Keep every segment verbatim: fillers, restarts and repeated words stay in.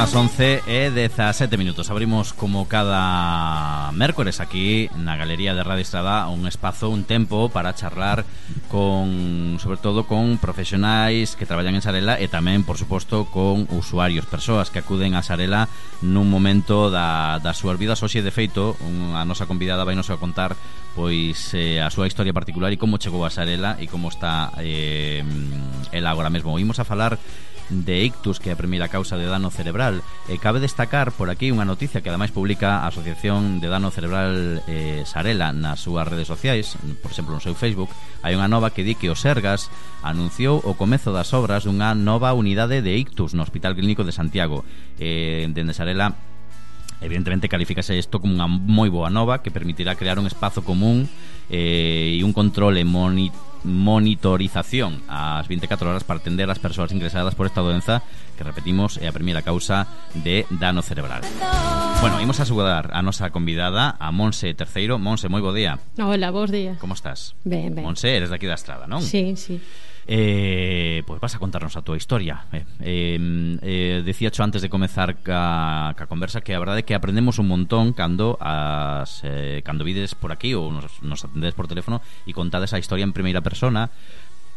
as once e dezasete minutos. Abrimos como cada mércores aquí na Galería de Radio Estrada un espazo, un tempo para charlar con, sobre todo con profesionais que traballan en Sarela e tamén, por suposto, con usuarios, persoas que acuden a Sarela nun momento da, das súas vidas. Hoxe, de feito, un, a nosa convidada vai nos a contar pois eh, a súa historia particular e como chegou a Sarela e como está eh, ela agora mesmo. Imos a falar de ictus, que é a primeira causa de dano cerebral. E cabe destacar por aquí unha noticia que ademais publica a Asociación de Dano Cerebral eh, Sarela nas súas redes sociais, por exemplo no seu Facebook. Hai unha nova que di que o Sergas anunciou o comezo das obras dunha nova unidade de ictus no Hospital Clínico de Santiago. eh, dende Sarela evidentemente califícase isto como unha moi boa nova que permitirá crear un espazo común eh, e un control e monitor monitorización ás vinte e catro horas para atender as persoas ingresadas por esta doenza que, repetimos, é a primeira causa de dano cerebral. Bueno, imos a saludar a nosa convidada, a Monse Terceiro. Monse, moi bo día. Hola, bos días. Como estás? Ben, ben. Monse, eres daqui da Estrada, non? Sí, sí. Eh, pois vas a contarnos a túa historia. eh, eh, eh, Decía xo antes de comezar ca, ca conversa que a verdade é que aprendemos un montón cando as eh, cando vides por aquí ou nos, nos atendedes por teléfono e contades a historia en primeira persona,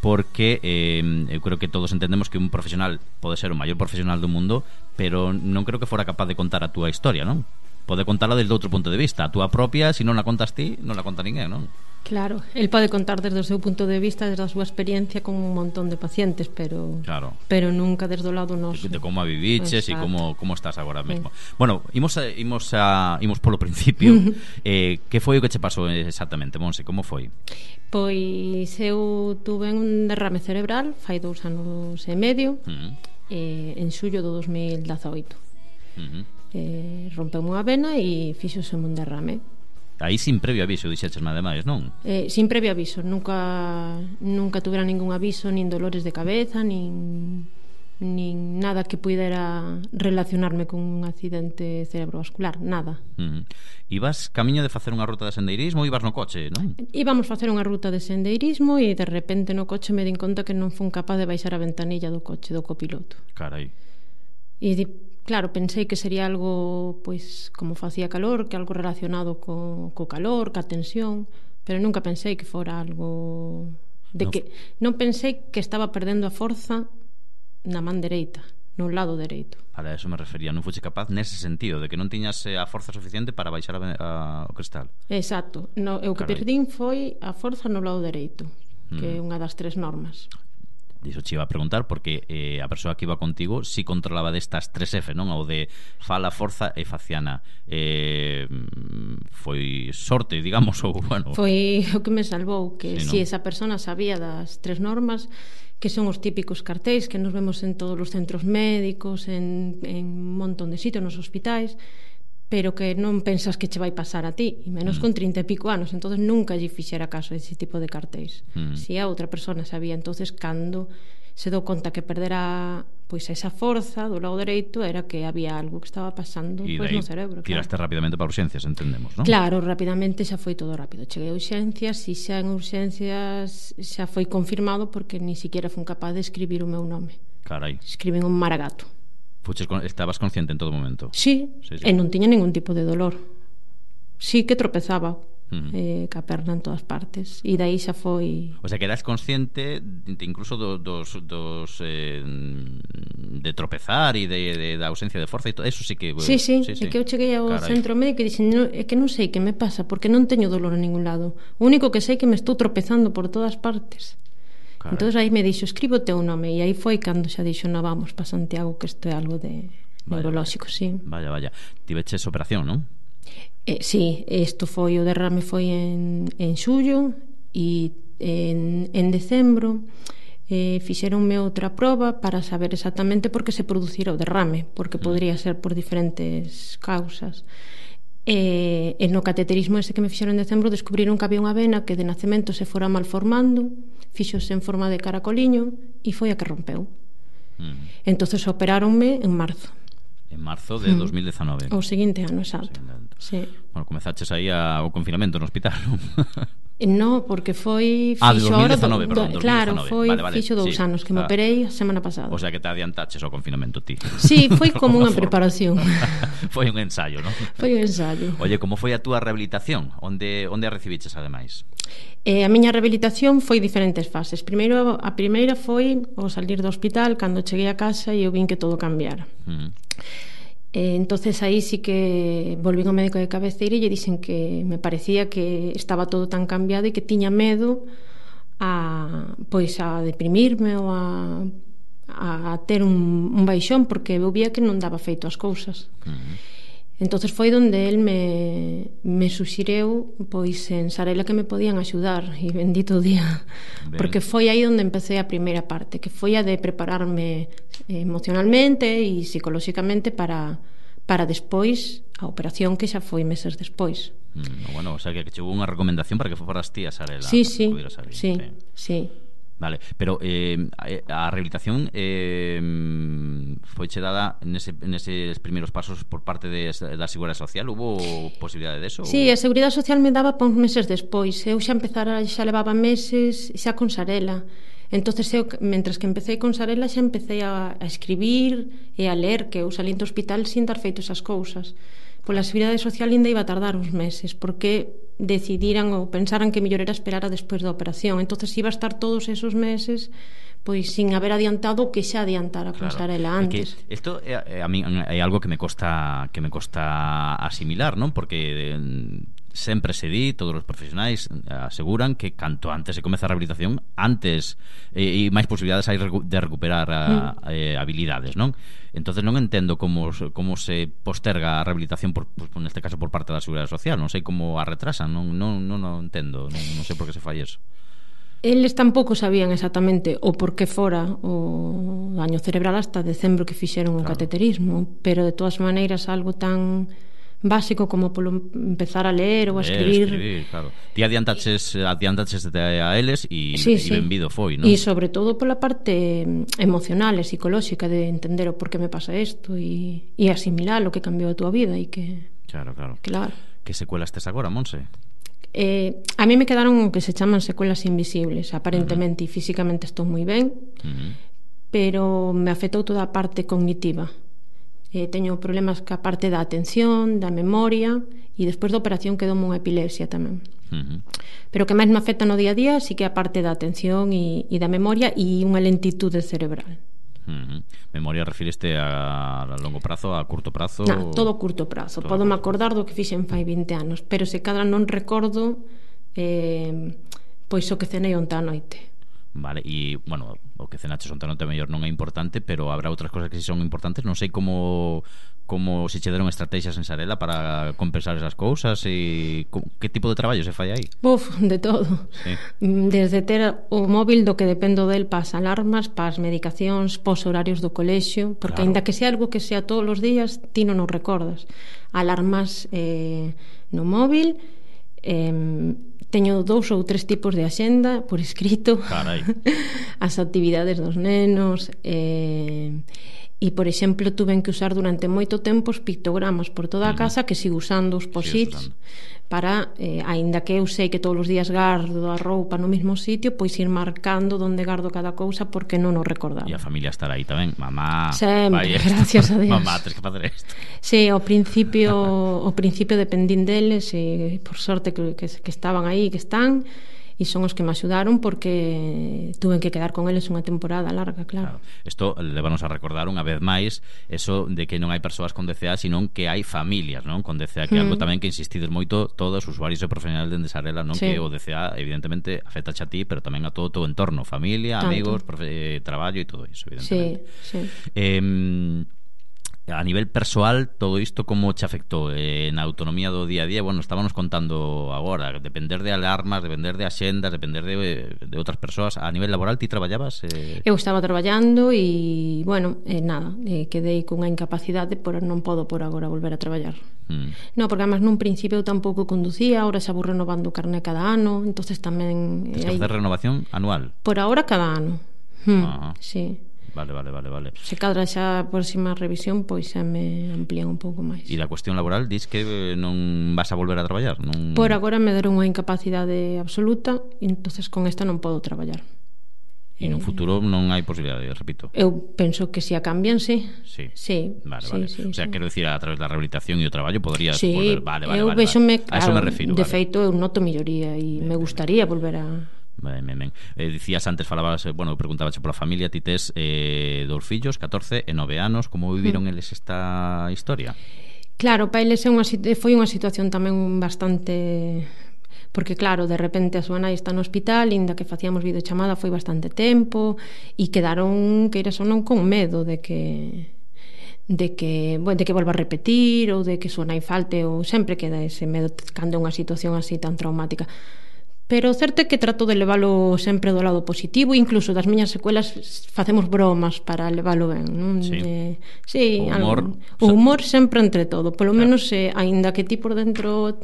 porque eh, eu creo que todos entendemos que un profesional pode ser o maior profesional do mundo, pero non creo que fora capaz de contar a túa historia, non? Pode contarla desde outro punto de vista. A túa propia, se non a contas ti, non la conta ninguén, non? Claro, el pode contar desde o seu punto de vista, desde a súa experiencia con un montón de pacientes, pero claro, pero nunca desde o lado noso. De, de como a viviches e como como estás agora mesmo. Sí. Bueno, imos a, imos a imos polo principio. eh, que foi o que che pasou exactamente, Monse? Como foi? Pois eu tuve un derrame cerebral fai dous anos e medio, Uh-huh. eh, en xullo do dos mil dezaoito. Uh-huh. eh, rompeu unha vena e fixose un derrame. Aí sin previo aviso, dixéchesme ademais, non? Eh, sin previo aviso, nunca nunca tuvera ningún aviso, nin dolores de cabeza, nin nin nada que puidera relacionarme con un accidente cerebrovascular, nada. Uh-huh. Ibas camiño de facer unha ruta de sendeirismo ou ibas no coche, non? Íbamos facer unha ruta de sendeirismo e de repente no coche me din conta que non fun capaz de baixar a ventanilla do coche do copiloto. Carai. E di, claro, pensei que sería algo, pois, como facía calor, que algo relacionado co, co calor, ca tensión, pero nunca pensei que fora algo de no. que non pensei que estaba perdendo a forza na man dereita, no lado dereito. Para eso me refería, non fuche capaz nese sentido de que non tiñas eh, a forza suficiente para baixar a, a, o cristal. Exacto, no, eu que Carai. perdín foi a forza no lado dereito, que é Mm. unha das tres normas. Diso che iba a preguntar porque eh, a persoa que iba contigo si controlaba destas tres F, non? O de fala, forza e faciana. eh, Foi sorte, digamos, ou bueno. Foi o que me salvou, que Sí, si ¿no? esa persona sabía das tres normas, que son os típicos cartéis que nos vemos en todos os centros médicos, en, en un montón de sitios, nos hospitais, pero que non pensas que che vai pasar a ti, e menos Mm. con trinta e pico anos. Entonces nunca lle fixera caso a ese tipo de cartéis. Mm. Si a outra persona sabía, entonces cando se dou conta que perdera pois esa forza do lado dereito, era que había algo que estaba pasando E pois, dai no cerebro. tiraste Claro. rapidamente para urxencias, entendemos, non? Claro, rapidamente xa foi todo rápido. Cheguei a urxencias e xa en urxencias xa foi confirmado porque ni siquiera fun capaz de escribir o meu nome. Carai. Escriben un maragato. Fuches con, estabas consciente en todo momento. Sí, Sí, sí. e non tiña ningún tipo de dolor. Sí que tropezaba Mm. eh, ca perna en todas partes. E daí xa foi... O sea, que eras consciente de, incluso do, dos, dos eh, de tropezar e de, de, da ausencia de forza e todo eso sí que... Sí, sí, sí, é que eu cheguei ao Carai. centro médico e dixen, no, é que non sei que me pasa porque non teño dolor en ningún lado. O único que sei é que me estou tropezando por todas partes. Carai. Entonces aí me dixo, escribo o teu nome, e aí foi cando xa dixo, no, vamos pa Santiago, que isto é algo de Vaya, neurolóxico, sí. Vaya, vaya. Tiveches operación, non? Eh, sí, isto foi, o derrame foi en, en xullo e en, en decembro eh, fixeronme outra proba para saber exactamente por que se producira o derrame, porque podría ser por diferentes causas. E, e no cateterismo ese que me fixeron en decembro descubriron que había unha vena que de nacemento se fora malformando, fixose en forma de caracoliño e foi a que rompeu. Mm. Entonces operáronme en marzo. En marzo de Mm. dos mil dezanove. O seguinte ano, exacto. Seguinte ano. Sí. Bueno, comezaches aí a, o confinamento no hospital, non? No, porque foi Ah, de fixo dos mil ahora dezanove, do, perdón, do, dos mil claro, dezanove. foi Vale, vale, fixo dous sí. anos que me Ah. operei a semana pasada. O sea que te adiantaches ao confinamento ti. Sí, foi como unha forma. preparación. Foi un ensayo, non? Foi un ensayo. Oye, como foi a túa rehabilitación? Onde onde a recibiches ademais? E a miña rehabilitación foi diferentes fases. Primeiro, a primeira foi ao salir do hospital, cando cheguei a casa e eu vin que todo cambiara. Mm. Eh, entonces aí sí que volví ao médico de cabeceira e lle dixen que me parecía que estaba todo tan cambiado e que tiña medo a pois a deprimirme ou a, a ter un, un baixón, porque eu vía que non daba feito as cousas. Mm. Entonces foi onde el me, me suxireu pois en Sarela que me podían axudar, e bendito día. Ben. Porque foi aí onde empecé a primeira parte, que foi a de prepararme emocionalmente e psicolóxicamente para, para despois a operación, que xa foi meses despois. Mm, bueno, o sea que chegou unha recomendación para que foras ti a Sarela. Sí, sí, sí, sí, sí. Vale, pero eh, a rehabilitación eh, foi che dada nese, neses primeiros pasos por parte de, da Seguridade Social? Hubo posibilidade de eso? Sí, a Seguridade Social me daba pons meses despois. Eu xa empezara, xa levaba meses xa con Sarela. Entonces eu, mentres que empecé con Sarela, xa empecé a, a escribir e a ler, que eu salín do hospital sin dar feito esas cousas. Pola Seguridade Social ainda iba a tardar uns meses, porque decidiran ou pensaran que mellor era esperar a despois da operación. Entonces iba a estar todos esos meses pois sin haber adiantado o que xa adiantara con claro, Sarela antes. É que isto é, a mí é algo que me costa que me costa asimilar, non? Porque sempre se di, todos os profesionais aseguran que canto antes se comeza a rehabilitación, antes e, e máis posibilidades hai de recuperar a, mm. eh, habilidades, non? Entonces non entendo como, como se posterga a rehabilitación por, pues, neste caso por parte da Seguridade Social, non sei como a retrasan, non, non, non, non entendo, non, non sei por que se fai eso. Eles tampouco sabían exactamente o por que fora o daño cerebral hasta decembro que fixeron claro. o cateterismo, pero de todas maneiras algo tan básico como polo empezar a ler ou a escribir, escribir claro. Ti adiantaches, adiantaches a eles e, sí, e sí. benvido foi, non? E sobre todo pola parte emocional e psicolóxica de entender o por que me pasa isto e, e asimilar o que cambiou a túa vida e que... Claro, claro. claro. Que secuelas tes agora, Monse? Eh, a mí me quedaron o que se chaman secuelas invisibles. Aparentemente uh -huh. e físicamente estou moi ben, uh -huh. pero me afectou toda a parte cognitiva. Eh, teño problemas ca parte da atención, da memoria, e despois da operación quedou unha epilepsia tamén. Uh -huh. Pero o que máis me afecta no día a día sí que a parte da atención e, e da memoria e unha lentitude cerebral. Uh -huh. Memoria refireste a, a longo prazo, a curto prazo? No, todo curto prazo. Podo me acordar do que fixen fai vinte anos, pero se cadra non recordo eh, pois o que cenei onta a noite. Vale, e, bueno, o que cenaches onta a noite mellor non é importante, pero habrá outras cosas que si son importantes. Non sei como como se che deron estrategias en Sarela para compensar esas cousas e que tipo de traballo se fai aí? Uf, de todo. Sí. Desde ter o móvil do que dependo del para as alarmas, para as medicacións, pos horarios do colexio, porque claro. Ainda que sea algo que sea todos os días, ti non o recordas. Alarmas eh, no móvil, eh, teño dous ou tres tipos de axenda por escrito. Carai. As actividades dos nenos, eh, e, por exemplo, tuven que usar durante moito tempo os pictogramas por toda a casa, que sigo usando os posits para, eh, aínda que eu sei que todos os días gardo a roupa no mesmo sitio, pois ir marcando onde gardo cada cousa porque non o recordaba. E a familia estará aí tamén, mamá, sempre, gracias a Dios. Mamá, tens que facer isto. Sí, ao principio ao principio dependín deles e por sorte que, que, que estaban aí, que están, e son os que me axudaron porque tuve que quedar con eles unha temporada larga, claro. Claro. Isto levanos a recordar unha vez máis eso de que non hai persoas con D C A, senón que hai familias, non? Con D C A, que é mm. algo tamén que insistides moito todos os usuarios e profesionales de Sarela, non? Sí. Que o D C A evidentemente afecta a ti, pero tamén a todo o teu entorno, familia, tanto. Amigos, profe, traballo e todo iso, evidentemente. Sí, sí. Eh, a nivel persoal, todo isto como te afectou eh, na autonomía do día a día? Bueno, estábamos contando agora, depender de alarmas, depender de axendas, depender de, de outras persoas. A nivel laboral, ti traballabas? Eh... Eu estaba traballando e, bueno, eh, nada, eh, quedei cunha incapacidade, por non podo por agora volver a traballar. Mm. No, porque además nun principio eu tampouco conducía, ahora xa vou renovando o carné cada ano, entonces tamén... Tens que hai... facer renovación anual? Por agora cada ano. Hmm, ah. Sí. Vale, vale, vale, vale. Se cadra xa a próxima revisión, pois xa me amplían un pouco máis. E da cuestión laboral, dis que non vas a volver a traballar? Non... Por agora me deron unha incapacidade absoluta e entonces con esta non podo traballar. E no futuro non hai posibilidade, repito. Eu penso que se a cambian, sí. Sí. Sí. Vale, sí, vale. sí, o sea, sí. quero dicir, a través da rehabilitación e o traballo podrías sí, volver. Vale, vale, eu vale. vexome, vale. Claro, a eso me refiro. De vale. feito, eu noto melloría e me gustaría volver a... Ben, ben, ben. Eh, dicías antes, falabas, bueno, preguntabache pola familia, ti tes eh, dous fillos, catorce e nove anos, como viviron mm. eles esta historia? Claro, para eles é unha, foi unha situación tamén bastante... Porque claro, de repente a súa nai está no hospital, inda que facíamos videochamada foi bastante tempo e quedaron, queiras ou non, con medo de que de que, bueno, de que volva a repetir ou de que súa nai falte, ou sempre queda ese medo cando é unha situación así tan traumática. Pero o certo é que trato de leválo sempre do lado positivo, incluso das miñas secuelas facemos bromas para leválo ben, non? Sí, eh, sí o humor, algo, o humor sempre entre todo, polo claro. menos eh, aínda que ti por dentro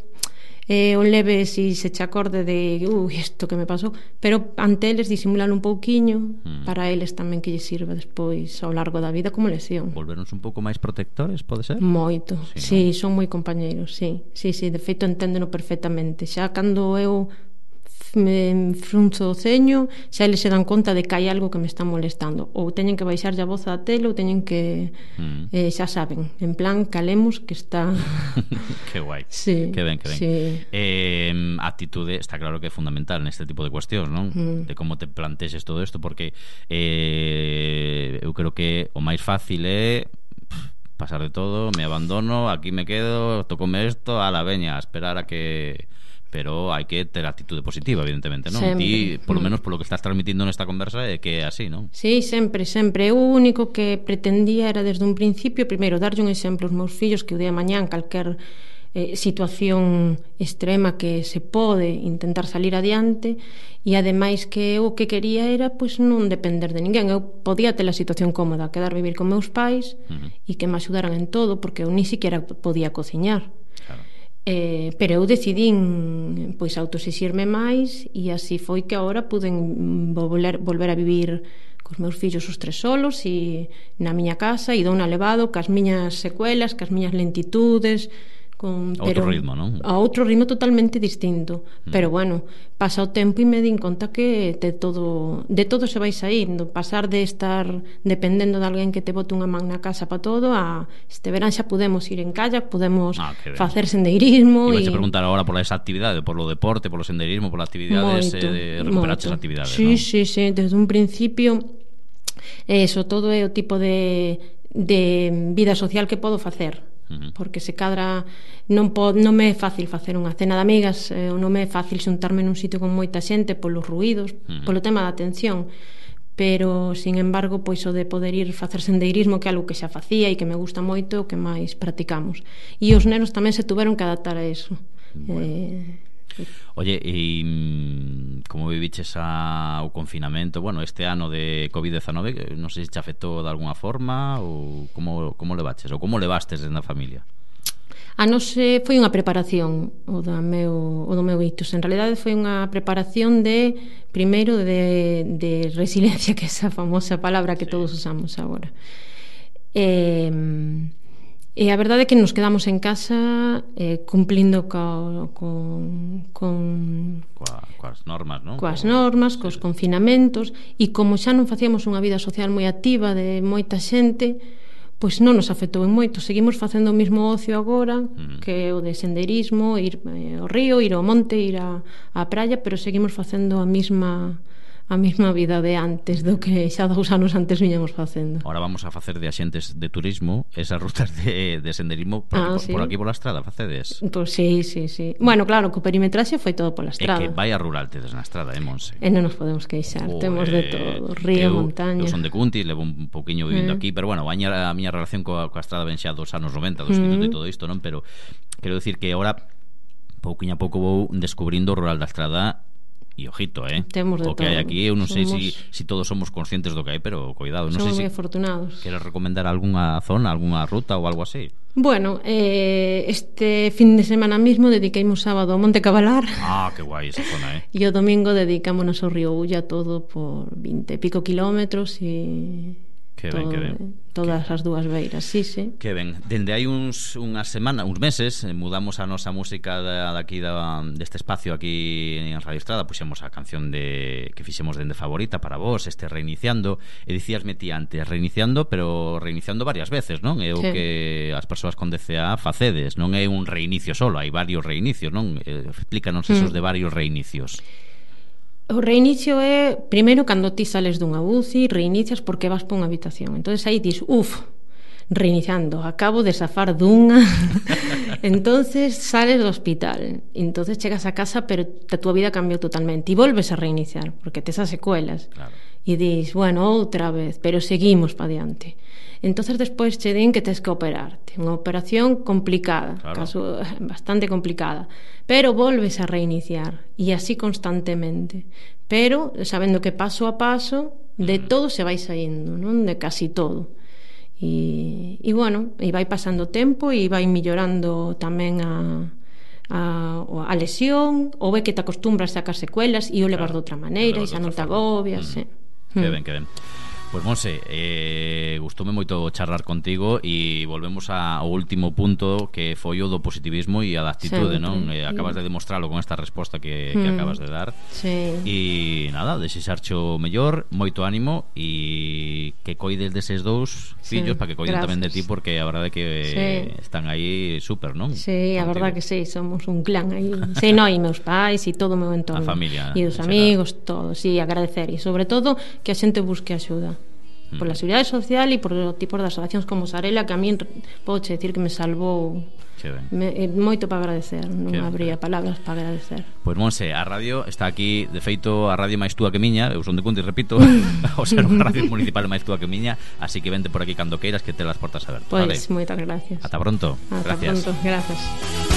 eh, o leve si se che acorde de ui, isto que me pasou, pero ante eles disimulan un pouquiño mm. para eles tamén que lles sirva despois ao largo da vida como lesión. Volveronse un pouco máis protectores, pode ser? Moito, sí, sí, no? son moi compañeiros, sí, sí, sí, de feito enténdeno perfectamente. Xa cando eu me frunzo o ceño, xa eles se dan conta de que hai algo que me está molestando, ou teñen que baixar a voz da tele ou teñen que mm. eh, xa saben, en plan calemos que está que guai, sí, que ben, que ben sí. eh, a actitude está claro que é fundamental neste tipo de cuestións, non? Mm. De como te plantexes todo isto, porque eh, eu creo que o máis fácil é pasar de todo, me abandono, aquí me quedo, tocome isto, a la veña, a esperar a que... Pero hai que ter actitude positiva, evidentemente, non? Ti, polo menos polo que estás transmitindo nesta conversa, é que é así, non? Sí, sempre, sempre. O único que pretendía era desde un principio, primeiro, darlle un exemplo aos meus fillos que o día de mañán calquer eh, situación extrema que se pode intentar salir adiante, e ademais que o que quería era pois non depender de ninguén. Eu podía ter a situación cómoda, quedar vivir con meus pais uh-huh. e que me axudaran en todo, porque eu ni siquiera podía cociñar. Claro. Eh, pero eu decidín pois autoexixirme máis e así foi que agora puden volver, volver a vivir cos meus fillos os tres solos e na miña casa e dona levado cas miñas secuelas, cas miñas lentitudes con, outro pero, ritmo, non? A outro ritmo totalmente distinto mm. pero bueno, pasa o tempo e me din conta que de todo de todo se vai saindo, pasar de estar dependendo de alguén que te bote unha man na casa para todo a este verán xa podemos ir en kayak, podemos ah, facer sendeirismo e vais a preguntar agora pola esa actividade, por lo deporte, polo sendeirismo, pola actividades eh, de recuperar esas actividades, sí, non? sí, sí, desde un principio eso todo é o tipo de, de vida social que podo facer porque se cadra non, pod, non me é fácil facer unha cena de amigas, eh, non me é fácil xuntarme nun sitio con moita xente polos ruídos, uh-huh. polo tema da atención, pero sin embargo pois o de poder ir facer sendeirismo, que é algo que xa facía e que me gusta moito, o que máis practicamos, e os nenos tamén se tuveron que adaptar a eso. Bueno. eh, Oye, e como viviches a, o confinamento, bueno, este ano de covid diecinueve, non sei se te afectou de alguna forma ou como, como levaches, ou como levastes na familia? A nos eh, foi unha preparación o, da meu, o do meu ictus. En realidade foi unha preparación de, primeiro, de, de resiliencia, que é esa famosa palabra que sí. todos usamos agora. Eh... E a verdade é que nos quedamos en casa eh, cumplindo co, con, con Coa, coas normas, non? Coas normas, cos sí. confinamentos, e como xa non facíamos unha vida social moi activa de moita xente, pois non nos afectou en moito. Seguimos facendo o mismo ocio agora, mm. que é o de sendeirismo, ir eh, ao río, ir ao monte, ir á, á praia, pero seguimos facendo a mesma a mesma vida de antes do que xa dous anos antes viñamos facendo. Ahora vamos a facer de axentes de turismo esas rutas de, de senderismo por, ah, aquí, sí. por aquí pola estrada facedes? Pois sí, sí, sí. Bueno, claro, que o perimetraxe foi todo pola estrada. É que vai a rural tedes na estrada, eh, Monse? E non nos podemos queixar, oh, temos de todo, río, eu, montaña. Eu son de Cuntis, levo un pouquiño vivindo eh. aquí, pero bueno, a miña, a miña relación coa, coa estrada ven xa dos anos noventa, dos uh-huh. e todo isto, non? Pero quero dicir que agora pouquiño a pouco vou descubrindo o rural da estrada. E ojito, eh? Temos de o que todo. hai aquí, eu non sei somos... se si, si todos somos conscientes do que hai, pero cuidado, non somos sei moi se afortunados. Queres recomendar algunha zona, algunha ruta ou algo así? Bueno, eh, este fin de semana mismo dediqueimos sábado ao Monte Cabalar. Ah, que guai esa zona, eh? E o domingo dedicámonos ao río Ulla, todo por vinte e pico kilómetros e Que ben, todo, que ben. Todas que... as dúas beiras, sí, sí. Que ben. Dende hai uns unhas semanas, uns meses, mudamos a nosa música da, daqui da, deste espacio aquí en Radio Estrada, puxemos a canción de que fixemos dende favorita para vos, este Reiniciando, e dicíasme ti antes, reiniciando, pero reiniciando varias veces, non? É o sí. que as persoas con D C A facedes, non é un reinicio solo, hai varios reinicios, non? Eh, explícanos esos mm. de varios reinicios. O reinicio é, primeiro, cando ti sales dunha U C I, reinicias porque vas por unha habitación. Entonces aí dis, uf, reiniciando, acabo de zafar dunha. Entonces sales do hospital. Entonces chegas a casa, pero a tua vida cambiou totalmente. E volves a reiniciar, porque tes as secuelas. Claro. E dis, bueno, outra vez, pero seguimos pa diante. Entonces despois che din que tes que operarte. Unha operación complicada, claro. Caso bastante complicada, pero volves a reiniciar e así constantemente, pero sabendo que paso a paso de mm. todo se vai saindo, non? De casi todo. E, e bueno, e vai pasando tempo e vai millorando tamén a a, a lesión, ou é que te acostumbras a sacar secuelas e o levas claro. de outra maneira e xa non te agobias, mm. sí. Que ben, que ben. Pois Monse, eh, gustoume moito charlar contigo e volvemos a, ao último punto que foi o do positivismo e a da actitude, sempre, non? Eh, acabas de demostralo con esta resposta que, que mm. acabas de dar. Sí. E nada, desexarche o mellor, moito ánimo e que coides deses dous fillos sí, para que coiden gracias. Tamén de ti, porque a verdade é que sí. están aí súper, non? Sí, a verdade que sí, somos un clan aí. Sí, no, e meus pais e todo o meu entorno. A familia. E os amigos, todo, sí, agradecer e sobre todo que a xente busque axuda. Por la seguridade social e por o tipo de asociacións como Sarela, que a min podo decir que me salvou me, moito para agradecer, non habría palabras para agradecer. Pois Monse, a radio está aquí, de feito a radio máis túa que miña, eu son de Cuntis, repito, o ser unha radio municipal máis túa que miña, así que vente por aquí cando queiras, que te las portas abertas. Pois, vale? Moitas gracias. Ata pronto. Ata gracias. pronto, gracias.